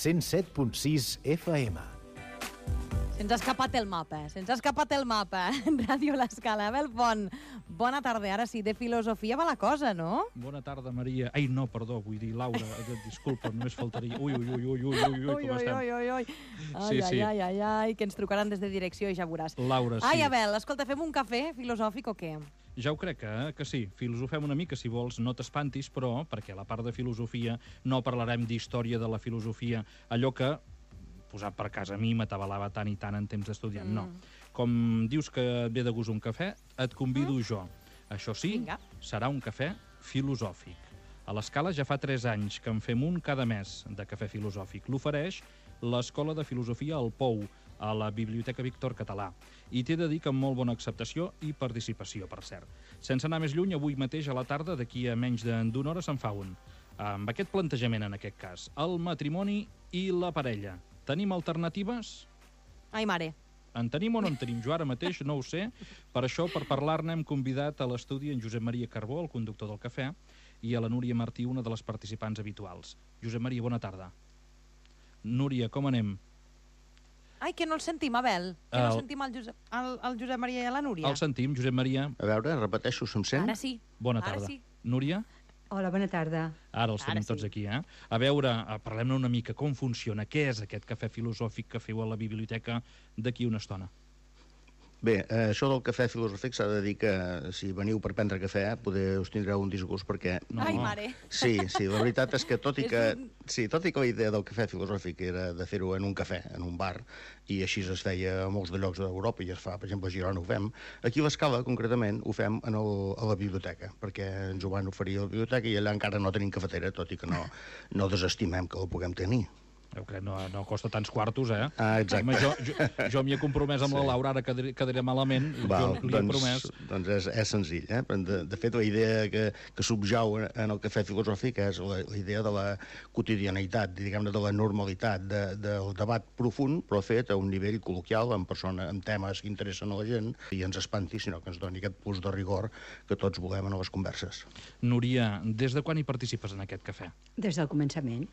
107.6 FM. Se'ns ha escapat el mapa, Ràdio L'Escala. Abel Font, bona tarda. Ara sí, de filosofia va la cosa, no? Bona tarda, Maria. Ai, no, perdó, vull dir, Laura, disculpa, només faltaria. Ui, com estem? Ai, que ens trucaran des de direcció i ja veuràs. Laura, sí. Ai, Abel, escolta, fem un cafè filosòfic o què? Ja ho crec que sí. Filosofem una mica, si vols, no t'espantis, però, perquè a la part de filosofia no parlarem d'història de la filosofia, allò que, posat per casa a mi, m'atabalava tant i tant en temps d'estudiant. No. Com dius que et ve de gust un cafè, et convido jo. Això sí, serà un cafè filosòfic. A l'Escala ja fa 3 anys que en fem un cada mes de cafè filosòfic. L'ofereix l'Escola de Filosofia al Pou, a la Biblioteca Víctor Català. I t'he de dir que amb molt bona acceptació i participació, per cert. Sense anar més lluny, avui mateix a la tarda, d'aquí a menys d'una hora, se'n fa un. Amb aquest plantejament, en aquest cas, el matrimoni i la parella. Tenim alternatives? Ai, mare. En tenim o no en tenim? Jo ara mateix no ho sé. Per això, per parlar-ne, hem convidat a l'estudi en Josep Maria Carbó, el conductor del cafè, i a la Núria Martí, una de les participants habituals. Josep Maria, bona tarda. Núria, com anem? Ai, que no el sentim, Abel. Que no sentim el Josep Maria i la Núria. El sentim, Josep Maria. A veure, repeteixo, se'm sent? Ara sí. Bona tarda. Sí. Núria? Hola, bona tarda. Ara els tenim tots aquí, eh? A veure, parlem-ne una mica, com funciona, què és aquest cafè filosòfic que feu a la biblioteca d'aquí una estona? Bé, això del cafè filosòfic s'ha de dir que si veniu per prendre cafè poder us tindreu un disgust perquè... No. Ai, mare. Sí, la veritat és que tot i que la idea del cafè filosòfic era de fer-ho en un cafè, en un bar, i així es feia a molts de llocs d'Europa i es fa, per exemple, a Girona ho fem, aquí a l'Escala, concretament, ho fem a la biblioteca, perquè ens ho van oferir a la biblioteca i allà encara no tenim cafetera, tot i que no desestimem que la puguem tenir. Jo crec que no costa tants quartos, eh? Exacte. Home, jo m'hi he compromès amb la Laura, ara quedaré malament. Val, jo li he promès. Doncs és senzill, eh? De fet, la idea que subjau en el cafè filosòfic és la idea de la quotidianitat, diguem-ne, de la normalitat, del debat profund, però fet a un nivell col·loquial, amb temes que interessen a la gent, i ens espanti, sinó que ens doni aquest plus de rigor que tots volem en les converses. Núria, des de quan hi participes en aquest cafè? Des del començament.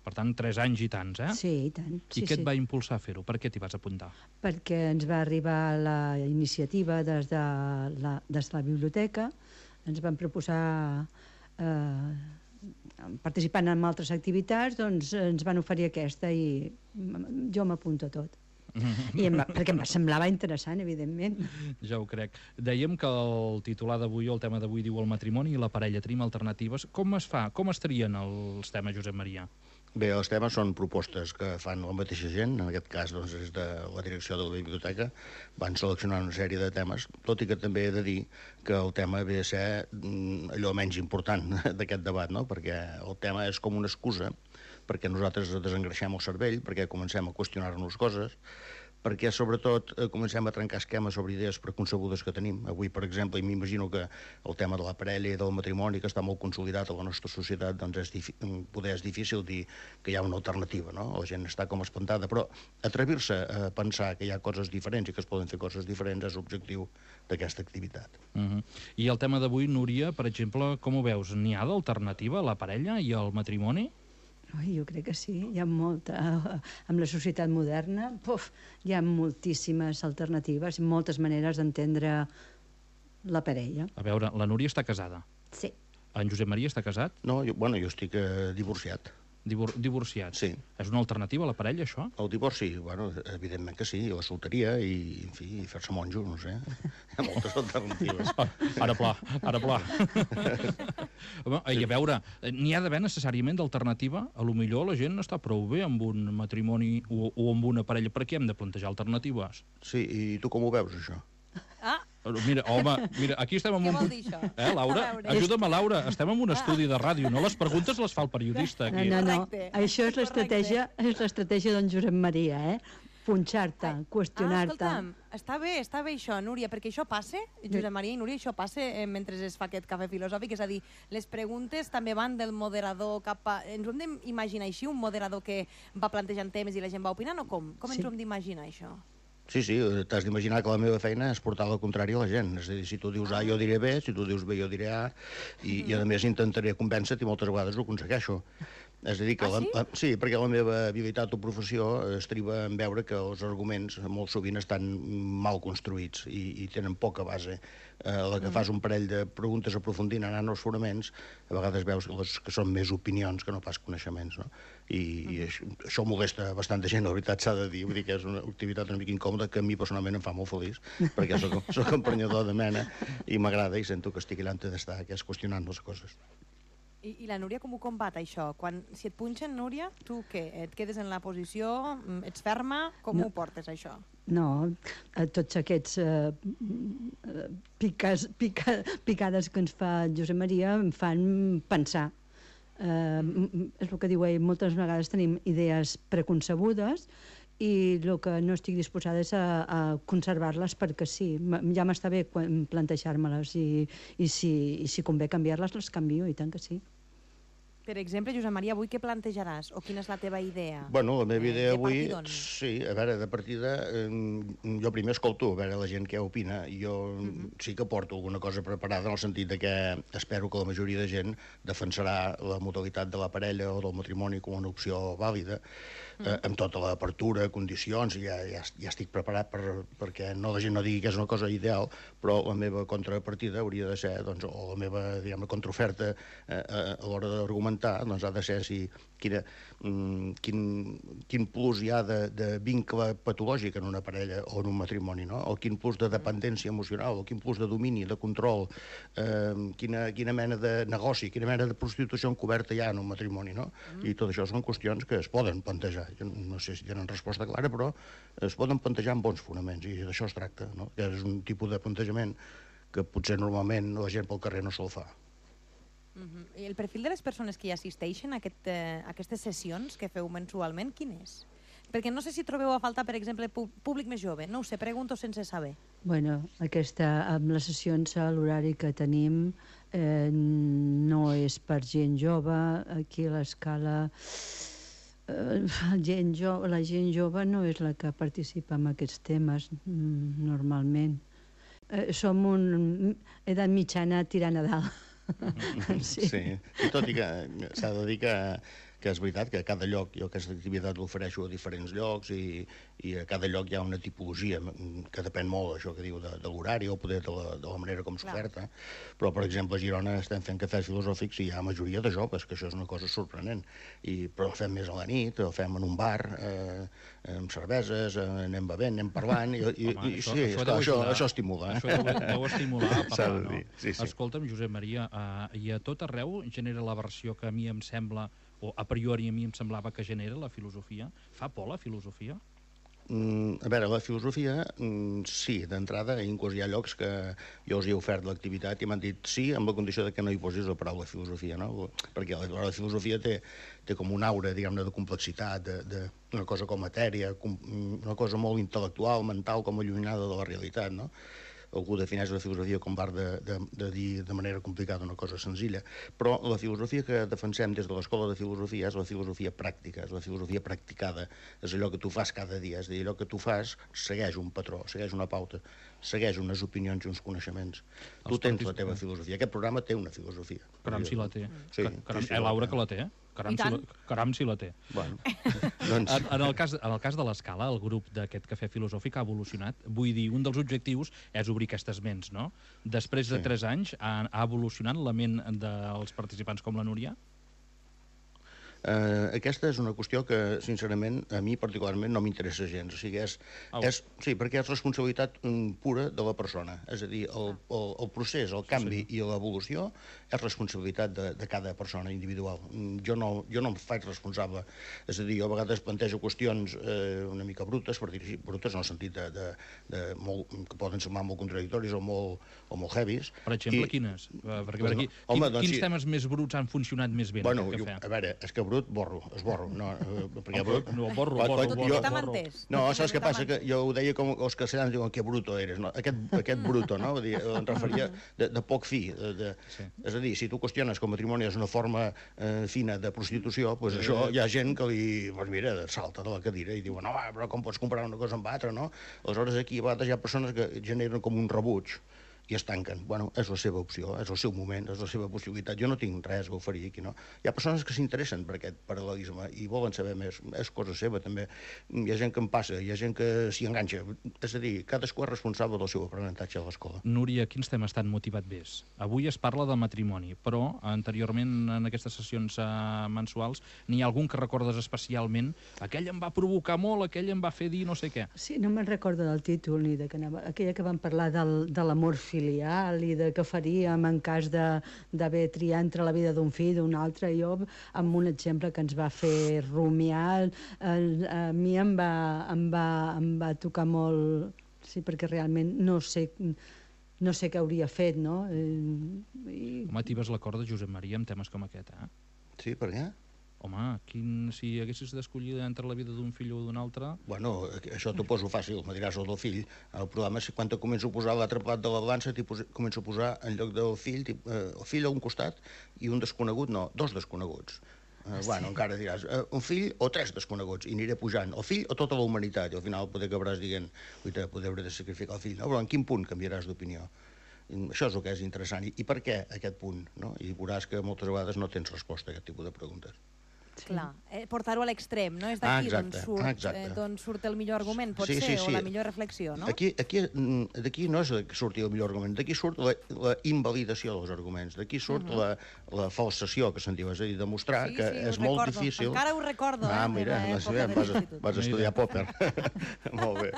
Per tant, 3 anys i tants, eh? Sí, i tant. I què et va impulsar a fer-ho? Per què t'hi vas apuntar? Perquè ens va arribar la iniciativa des de la biblioteca, ens van proposar, participant en altres activitats, doncs ens van oferir aquesta i jo m'apunto a tot. Perquè em semblava interessant, evidentment. Ja ho crec. Dèiem que el titular d'avui, el tema d'avui, diu el matrimoni i la parella. Tenim alternatives. Com es fa? Com es trien els temes, Josep Maria? Bé, els temes són propostes que fan la mateixa gent, en aquest cas doncs, és de la direcció de la biblioteca, van seleccionar una sèrie de temes, tot i que també he de dir que el tema ve a ser allò menys important d'aquest debat, no? Perquè el tema és com una excusa perquè nosaltres desengreixem el cervell, perquè comencem a qüestionar-nos coses, perquè sobretot comencem a trencar esquemes sobre idees preconcebudes que tenim. Avui, per exemple, i m'imagino que el tema de la parella i del matrimoni, que està molt consolidat a la nostra societat, doncs poder és difícil dir que hi ha una alternativa, no? La gent està com espantada, però atrevir-se a pensar que hi ha coses diferents i que es poden fer coses diferents és l'objectiu d'aquesta activitat. I el tema d'avui, Núria, per exemple, com ho veus? N'hi ha d'alternativa a la parella i al matrimoni? Jo crec que sí, hi ha molta. Amb la societat moderna, hi ha moltíssimes alternatives, moltes maneres d'entendre la parella. A veure, la Núria està casada. Sí. En Josep Maria està casat? No, jo estic divorciat. Divorciat. Sí. És una alternativa a la parella, això? El divorci, evidentment que sí, la solteria i, en fi, fer-se monjo, no sé. Hi ha moltes alternatives. Ara pla. I a veure, n'hi ha d'haver necessàriament d'alternativa? A lo millor la gent està prou bé amb un matrimoni o amb una parella. Per què hem de plantejar alternatives? Sí, i tu com ho veus, això? Mira, aquí estem en Què vol dir això? Laura, ajuda'm, Laura, estem en un estudi de ràdio, no les preguntes les fa el periodista aquí. No, això és l'estratègia d'en Josep Maria, punxar-te, qüestionar-te. Escolta'm, està bé això, Núria, perquè això passa, Josep Maria i Núria, això passa mentre es fa aquest cafè filosòfic, és a dir, les preguntes també van del moderador cap a... Ens ho hem d'imaginar així, un moderador que va plantejant temes i la gent va opinant, o com? Com ens ho hem d'imaginar, això? Sí, t'has d'imaginar que la meva feina és portar el contrari a la gent. És a dir, si tu dius A, jo diré B, si tu dius B, jo diré A, i a més intentaré convèncer-te i moltes vegades ho aconsegueixo. És a dir, que sí, perquè la meva habilitat o professió estriba en veure que els arguments molt sovint estan mal construïts i tenen poca base. La que fas un parell de preguntes aprofundint, anant als fonaments, a vegades veus que són més opinions que no pas coneixements, no? I això molesta bastanta gent, la veritat s'ha de dir. Vull dir que és una activitat una mica incòmoda que a mi personalment em fa molt feliç, perquè soc emprenyador de mena i m'agrada i sento que estic allà on he d'estar, que és qüestionant les coses. I la Núria com ho combat, això? Si et punxen, Núria, tu què? Et quedes en la posició? Ets ferma? Com ho portes, això? No, tots aquests picades que ens fa Josep Maria em fan pensar. És el que diu ell, moltes vegades tenim idees preconcebudes i el que no estic disposada és a conservar-les perquè sí. Ja m'està bé plantejar-me-les i si convé canviar-les, les canvio, i tant que sí. Per exemple, Josep Maria, avui què plantejaràs? O quina és la teva idea? Bueno, la meva idea avui... Sí, a veure, de partida, jo primer escolto, a veure la gent què opina. Jo sí que porto alguna cosa preparada en el sentit de que espero que la majoria de gent defensarà la modalitat de la parella o del matrimoni com una opció vàlida, amb tota l'apertura, condicions, i ja estic preparat perquè la gent no digui que és una cosa ideal, però la meva contrapartida hauria de ser, doncs, o la meva, diguem, contraoferta a l'hora d'argumentar, doncs ha de ser quin plus hi ha de vincle patològic en una parella o en un matrimoni, no? O quin plus de dependència emocional, o quin plus de domini, de control, quina mena de negoci, quina mena de prostitució encoberta hi ha en un matrimoni, no? I tot això són qüestions que es poden plantejar. Jo no sé si tenen resposta clara, però es poden plantejar amb bons fonaments, i d'això es tracta, no? Que és un tipus de plantejament que potser normalment la gent pel carrer no se'l fa. I el perfil de les persones que hi assisteixen a aquestes sessions que feu mensualment, quin és? Perquè no sé si trobeu a faltar, per exemple, públic més jove. No ho sé, pregunto sense saber. Bueno, amb les sessions a l'horari que tenim no és per gent jove. Aquí a l'escala la gent jove no és la que participa en aquests temes normalment. Som edat mitjana tirant a dalt. Sí, i tot i que s'ha de dir que és veritat que a cada lloc jo aquesta activitat l'ofereixo a diferents llocs i a cada lloc hi ha una tipologia que depèn molt, això que diu, de l'horari o poder de la manera com s'oferta. Però, per exemple, a Girona estem fent cafès filosòfics i hi ha majoria de joves, que això és una cosa sorprenent. Però el fem més a la nit, el fem en un bar, amb cerveses, anem bevent, anem parlant, i sí, això estimula. Això deu estimular a parlar, no? Sí. Escolta'm, Josep Maria, i a tot arreu genera la versió que a mi em sembla, o a priori a mi em semblava que genera la filosofia? Fa por la filosofia? A veure, la filosofia, sí, d'entrada, inclús hi ha llocs que jo els he ofert l'activitat i m'han dit sí, amb la condició de que no hi posis la paraula filosofia, no? Perquè la filosofia té com una aura, diguem-ne, de complexitat, d'una cosa com matèria, una cosa molt intel·lectual, mental, com allunyada de la realitat, no? Algú defineix la filosofia com l'art de dir de manera complicada una cosa senzilla, però la filosofia que defensem des de l'escola de filosofia és la filosofia pràctica, és la filosofia practicada, és allò que tu fas cada dia, és a dir, allò que tu fas segueix un patró, segueix una pauta, segueix unes opinions i uns coneixements. Tu tens la teva filosofia, aquest programa té una filosofia. Caram si la té. Laura que la té, Caram si la té. Bueno, doncs... En el cas de l'Escala, el grup d'aquest cafè filosòfic ha evolucionat. Vull dir, un dels objectius és obrir aquestes ments, no? Després de 3 anys, ha evolucionat la ment dels participants com la Núria? Aquesta és una qüestió que, sincerament, a mi particularment no m'interessa gens. O sigui, sí, perquè és responsabilitat pura de la persona. És a dir, el procés, el canvi i l'evolució és responsabilitat de cada persona individual. Jo no em faig responsable. És a dir, jo a vegades plantejo qüestions una mica brutes, per dir-ho així, brutes en el sentit que poden semblar molt contradictoris o molt heavies. Per exemple, quines? Perquè per aquí, quins temes més bruts han funcionat més bé en aquest cafè? A veure, és que brut, esborro. No, perquè brut... No, borro. No, saps què passa? Que jo ho deia com els castellans diuen que bruto eres. Aquest bruto, no? Em referia de poc fi. És a dir, si tu qüestiones que el matrimoni és una forma fina de prostitució, doncs això hi ha gent que li, mira, salta de la cadira i diuen, no, però com pots comparar una cosa amb l'altra, no? Aleshores aquí a vegades hi ha persones que generen com un rebuig i es tanquen. Bueno, és la seva opció, és el seu moment, és la seva possibilitat. Jo no tinc res a oferir aquí, no? Hi ha persones que s'interessen per aquest paral·lelisme i volen saber més. És cosa seva, també. Hi ha gent que en passa, hi ha gent que s'hi enganxa. És a dir, cadascú és responsable del seu aprenentatge a l'escola. Núria, quins temes t'han motivat més? Avui es parla de matrimoni, però anteriorment en aquestes sessions mensuals n'hi ha algun que recordes especialment? Aquell em va provocar molt, aquell em va fer dir no sé què. Sí, no me'n recordo del títol ni de que anava... Aquella que van parlar de l'amor filial i de què faríem en cas d'haver triat entre la vida d'un fill i d'un altre. Jo, amb un exemple que ens va fer rumiar, a mi em va tocar molt... Sí, perquè realment no sé què hauria fet, no? Home, tibes la corda, Josep Maria, amb temes com aquest, eh? Sí, per què? Home, si haguessis d'escollir entre la vida d'un fill o d'un altre... Bueno, això t'ho poso fàcil, me diràs el del fill. El problema és que quan te començo a posar l'altre plat de la balança, començo a posar en lloc del fill, el fill a un costat i un desconegut, no, dos desconeguts. Bueno, encara diràs, un fill o tres desconeguts, i aniré pujant, el fill o tota la humanitat, i al final poder acabaràs dient, poder hauré de sacrificar el fill. No, però en quin punt canviaràs d'opinió? Això és el que és interessant. I per què aquest punt? No? I veuràs que moltes vegades no tens resposta a aquest tipus de preguntes. Clar, portar-ho a l'extrem, no? És d'aquí d'on surt el millor argument, potser, o la millor reflexió, no? D'aquí no és que surti el millor argument, d'aquí surt la invalidació dels arguments, d'aquí surt la falsació, que se'n diu, és a dir, demostrar que és molt difícil... Encara ho recordo, mira, vas estudiar Popper. Molt bé.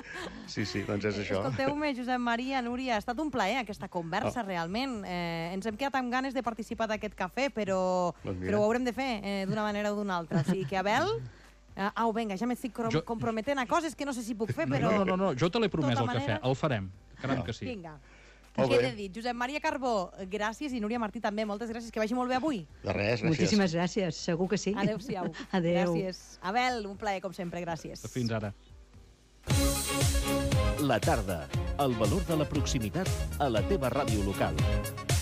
Sí, doncs és això. Escolteu-me, Josep Maria, Núria, ha estat un plaer aquesta conversa, realment. Ens hem quedat amb ganes de participar d'aquest cafè, però ho haurem de fer d'una manera o d'una altra. O sigui que, Abel... vinga, ja m'estic comprometent a coses que no sé si puc fer, però... No, jo te l'he promès el cafè, el farem. Caram que sí. Vinga. Què he de dir? Josep Maria Carbó, gràcies, i Núria Martí també, moltes gràcies, que vagi molt bé avui. De res, gràcies. Moltíssimes gràcies, segur que sí. Adéu-siau. Adéu. Gràcies. Abel, un plaer, com sempre, gràcies. Fins ara. La tarda, el valor de la proximitat a la teva ràdio local.